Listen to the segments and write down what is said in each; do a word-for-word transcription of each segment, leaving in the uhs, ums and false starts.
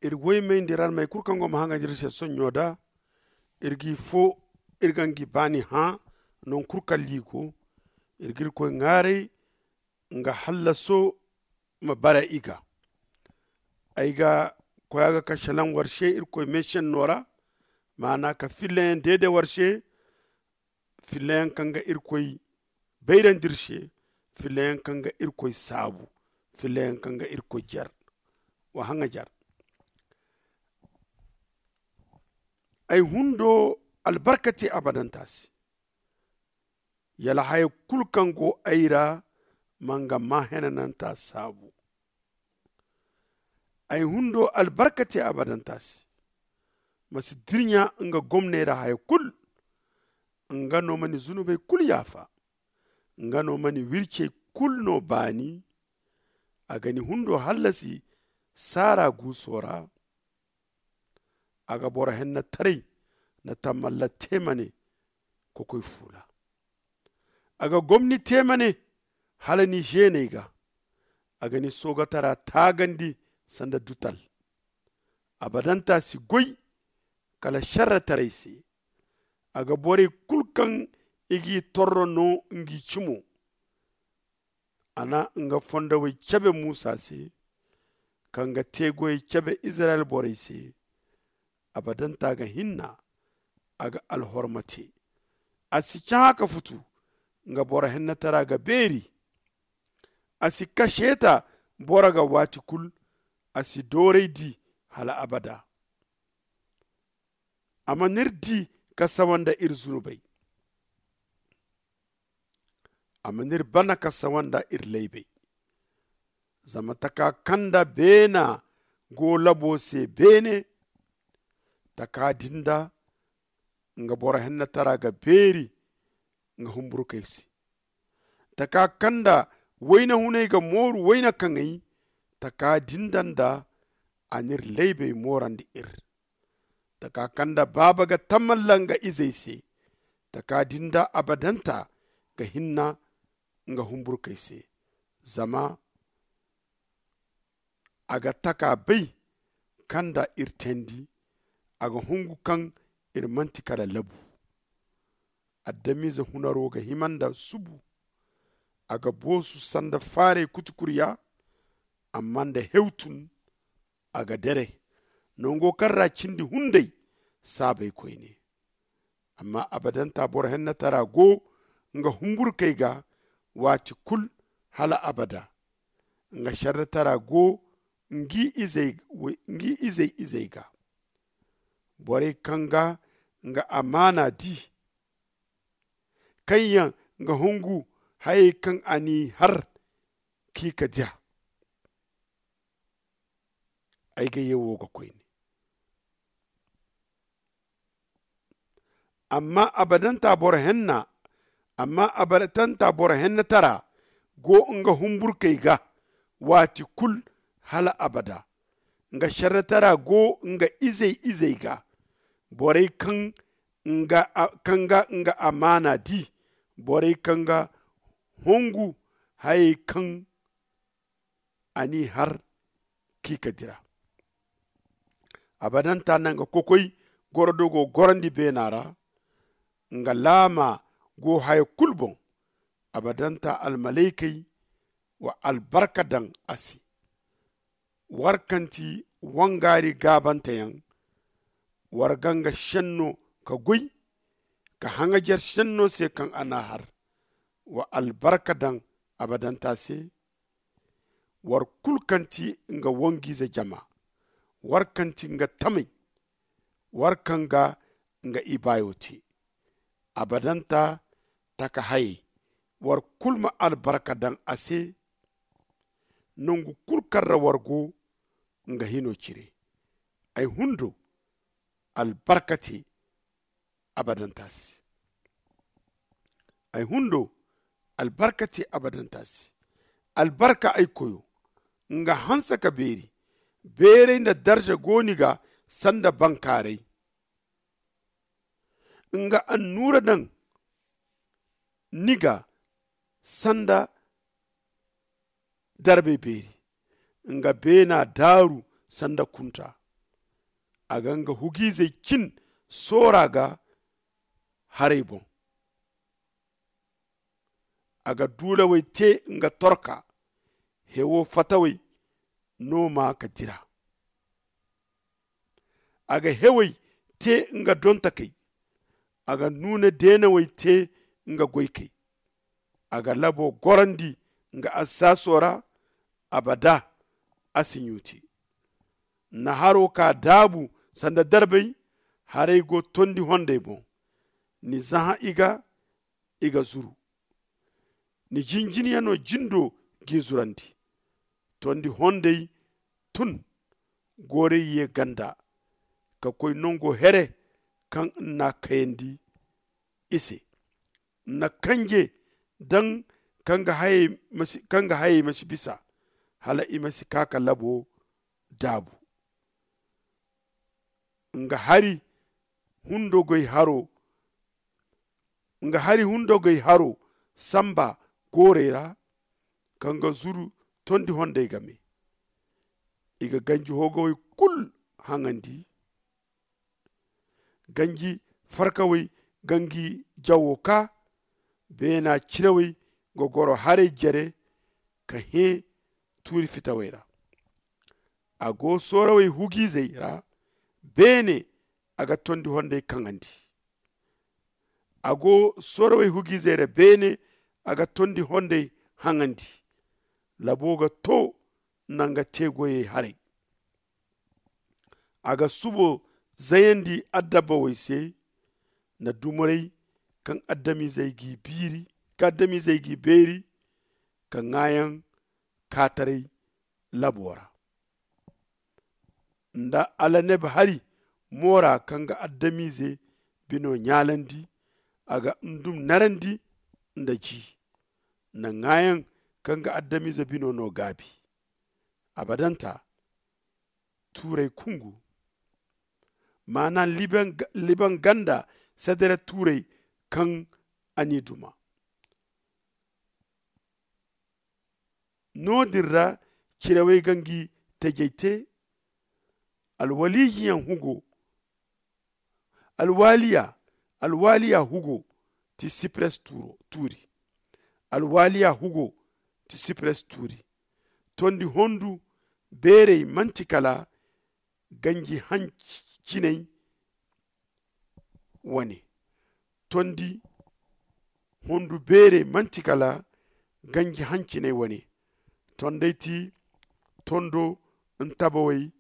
Iri woymayndi ranmey kulu kaŋ go ma haŋaji iri se soɲɲo da. Iri g'i fo, iri ga ngi baani hã. Nangu kulu kaŋ liiko iri ga irkoy ŋaaray nga hallaso ma bara i ga. Ay ga koy a ga ka šelaŋ war se irkoy meesenno ra, maana ka filleyaŋ deede war se. Filleyaŋ kaŋ ga irkoy bayrandi iri se. Filleyaŋ kaŋ ga irkoy saabu. Filleyaŋ kaŋ ga irkoy jer wa haŋajer. Ay hundo albarka te abadanta se. Yala haya kulu kaŋ go ay ra ma nga maa henananta saabu. Ay hundo albarka te abadanta se. Ma si dirɲa nga gomney ra haya kulu. Nga no ma ni zunubey kulu yaafa. Nga no ma ni wircey kulu no baani. A ga ni hundo hallasi saara guuso ra. A ga boro hennataray nda tamalla te ma ne kokoy fuula. A ga gomni te ma ne hala ni zeeney ga. A ga ni soogatara taagandi sanda dutal. Abadanta si goy kala šerretaray se. A ga borey kulu kaŋ i g'i torro no ngi cimo. A na nga fondawey cabe muusa se, ka nga teegoyey cabe izirayel borey se. Abadanta ga hinna. A ga alhorma te. A si cahã ka futu. Nga boro hennatara ga beeri. A si kaseeta boro ga waati kulu. A si dooray di hala abada. A mana iri di ka sawa nda iri zunubey. A mana iri bana ka sawa nda iri laybey. Zama taka kaŋ nda beena go labo se beene. Taka din da nga boro hennatara ga beeri nga humburkey se. Taka kaŋ nda wayna hunay ga mooru wayna kaŋay. Taka din da nda a n'iri laybey moorandi iri. Taka kaŋ nda baaba ga tamalla nga izey se. Taka din da abadanta ga hinna nga humburkey se. Zama a ga taka bay kaŋ nda iri teendi. A ga hungu kaŋ iri manti kala labu. Adamize hunaro ga hima nda subu. A ga boosu sanda faaray kutukuriya. Amma nda hewtun a ga dere nango kaŋ ra cindi hunday saabay koyne. Amma abadanta boro hennatara go nga humburkey ga waati kulu hala abada. Nga šerretara go ngi izey izey ga. Borey kaŋ ga nga amaana di kaŋ yaŋ nga hungu hayey kaŋ a n'i har k'i ka dira. Ay ga ye wo ga koyne. Amma abadanta boro henna amma abadanta boro hennatara go nga humburkey ga waati kulu hala abada. Nga šerretara go nga izey izey ga. Borey kaŋ ga nga amaana di. Borey kaŋ ga hongu hayey kaŋ a n'i har k'i ka dira. Abadanta na nga kokoy gorodo go gorandi beena ra. Nga laama go haya kulu boŋ. Abadanta almalaykey wa albarka daŋ a se. War kaŋ ti wangaari gaabanteyaŋ, war ga nga šenno ka goy ka haŋajer šenno se kaŋ a n'a har. Wa albarka daŋ abadanta se. War kulu kaŋ ti nga wangu-ize jama, war kaŋ ti nga tamey, war kaŋ ga nga ibaayo te. Abadanta taka hayey, war kulu ma albarka daŋ a se. Nangu kulu kaŋ ra war go nga hino cire. Ay hundo albarka te abadanta se. Ay hundo albarka te abadanta se. Albarka ay koyo, nga hanse ka beeri. Beeray nda darza go ni ga sanda bankaaray. Nga annuura daŋ ni ga sanda darbay beeri. Nga beena daaru sanda kunta. A ga nga hugiizey cin soora ga haray boŋ. A ga duulawey te nga torka, hewo fatawey no ma ka dira. A ga hewey te nga dontakey, a ga nuuna deenawey te nga goykey. A ga labo gorandi nga assaaso ra, abada a si ɲuuti. Na haro ka daabu sanda darbay, haray go tondi hondey boŋ. Ni zahã i ga i ga zuru. Ni jinjinyaŋo jindo g'i zurandi. Tondi hondey tun, goorey ye ganda ka koy nango here kaŋ n'a kayandi i se. Na kanje daŋ kaŋ ga hayey ma si bisa, hala i ma si kaa ka labo daabu. Nga hari hundogoy haro nga hari hundogoy haro samba goorey ra, kaŋ ga zuru tondi hondey game. I ga ganji hoogawey kulu haŋandi. Ganji farkawey ga ngi jawo kaa. Beena cirawey ga goro haray jere ka hẽ tuuri fitawey ra. A go soorawey hugiizey ra beene, a ga tondi hondey kaŋandi. A go soorawey hugiizey ra beene, a ga tondi hondey haŋandi. Labo ga to nda nga teegoyey haray. A ga subo zayandi adabba wey se, nda dumarey kaŋ adamizey g'i beeri ka ŋaayaŋ kaataray labo ra. Nda alaneb hari moora kaŋ ga adamize bino ɲaalandi, a ga ndum narandi nda ji, nda ŋaayaŋ kaŋ ga adamize bino no gaabi. Abadanta tuuray kungu, maana liban ganda sedere tuuray kaŋ a n'i duma. No- din ra cirawey ga ngi tajey te. Alwalijiyaŋ hugo alwaliya alwaliya hugo ti sipres tuuri. Alwaliya hugo ti sipres tuuri. Tondi hondu beerey manti kala ganji hanciney wane. Tondi hondu beerey manti kala ganji hanciney wane. Tondey ti tondo ntabawey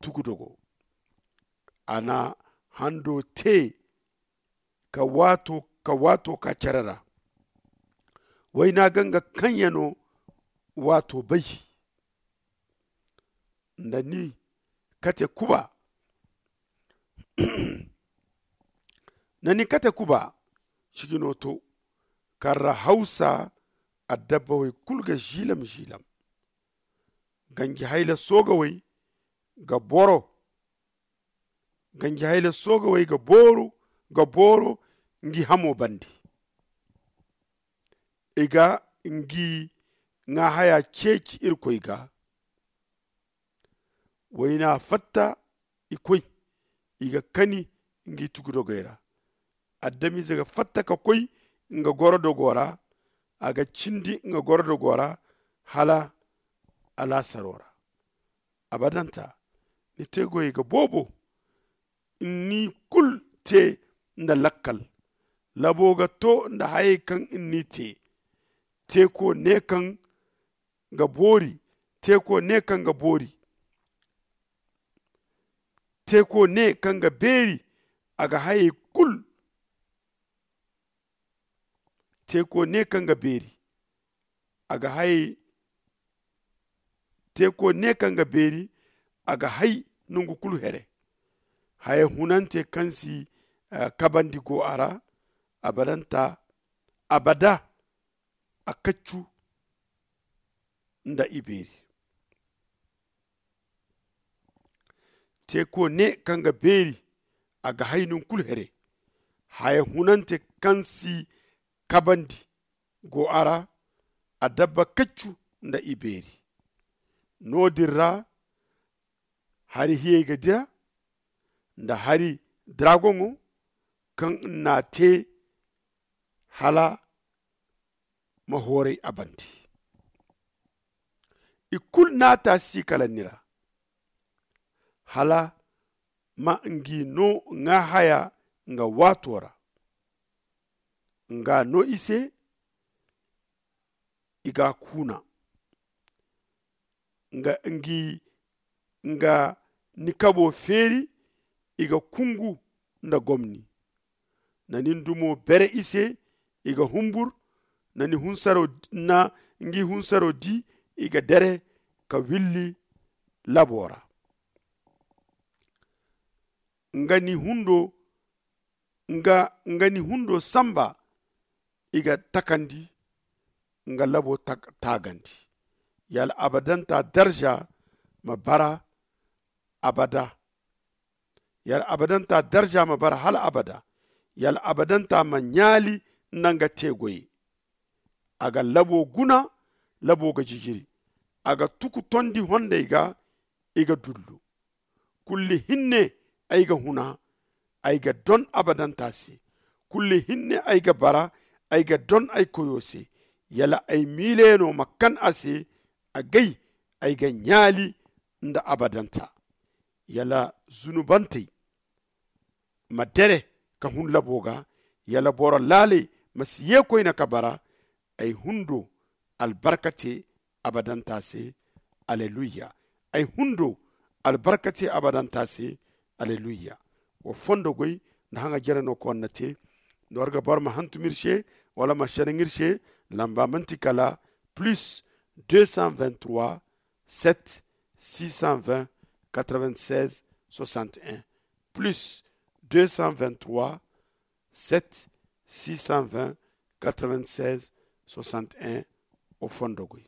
tugudogo. A na hando te ka waato ka cere ra. Wayna ga nga kaŋ ya no waato bay. Nda ni kate kuba nda ni kate kuba sijino to. Karra hawsa adabba way kulu ga ziilam ziilam. Ganji hayla soogawey ga boro ganji hayla soogawey ga booru ga booro ngi hamo bande. I ga ngi ŋaahaya ceeci irkoy ga. Wayna fatta i koy i ga kani ngi tugudogey ra. Adamize ga fatta ka koy nga gorodogo ra. A ga cindi nga gorodogo ra hala alaasaro ra. Abadanta ni te goyey ga boobo. Ni kulu te nda lakkal. Labo ga to nda hayey kaŋ ni te. Teeko ne kaŋ ga boori. Teeko ne kaŋ ga boori. Teeko ne kaŋ ga beeri. A ga hayey kulu teeko ne kaŋ ga beeri. A ga hay teeko ne kaŋ ga beeri. A ga hay nangu kulu here. Haya hunante kaŋ si kabandi go a ra. Abadanta abada a kaccu nda i beeri. Teeko ne kaŋ ga beeri a ga hay nangu kulu here. Haya hunante kaŋ si kabandi go a ra. A dabba kaccu nda i beeri. No- din ra hari hiyey ga dira. nda hari dragoŋo kaŋ n'a te hala ma hooray a bande. I kulu naata si kala ni ra hala ma ngi no ŋaa haya nga waato ra. Nga no i se i ga a kuuna nga ngi nga ni kabo feeri. I ga kungu nda gomni na ni ndumo bere i se. I ga humbur na ni hunsaro na ngi hunsaro di. I ga dere ka willi labo ra nga ni hundo nga ni hundo samba. I ga takandi nga labo taagandi. Yala abadanta darza ma bara abada. Yala abadanta darza ma bara hala abada. Yala abadanta ma ɲaali nda nga te goyey. A ga labo guna. Labo ga jijiri. A ga tuku tondi hondey ga. I ga dullu. Kulli hinne ay ga huna ay ga don abadanta se. Kulli hinne ay ga bara ay ga don ay koyo se. Yala ay miileyaŋo ma kan a se. Agay ay ga ɲaali nda abadanta. Yala zunubantey ma dere ka hun labo ga. Yala boro laaley ma si ye koyne ka bara. Ay hundo albarka te abadanta se. Alleluya. Ay hundo albarka te abadanta se. Alleluya. Wa fondo goy nda haŋa jere no koŋ na te. Nda war ga boro ma hantum iri se wala ma sanaŋ iri se. Lamba manti kala plus deux cent vingt-trois sept six cent vingt quatre-vingt-seize soixante-un. Plus deux cent vingt-trois sept six cent vingt quatre-vingt-seize soixante-un. O fondo goy.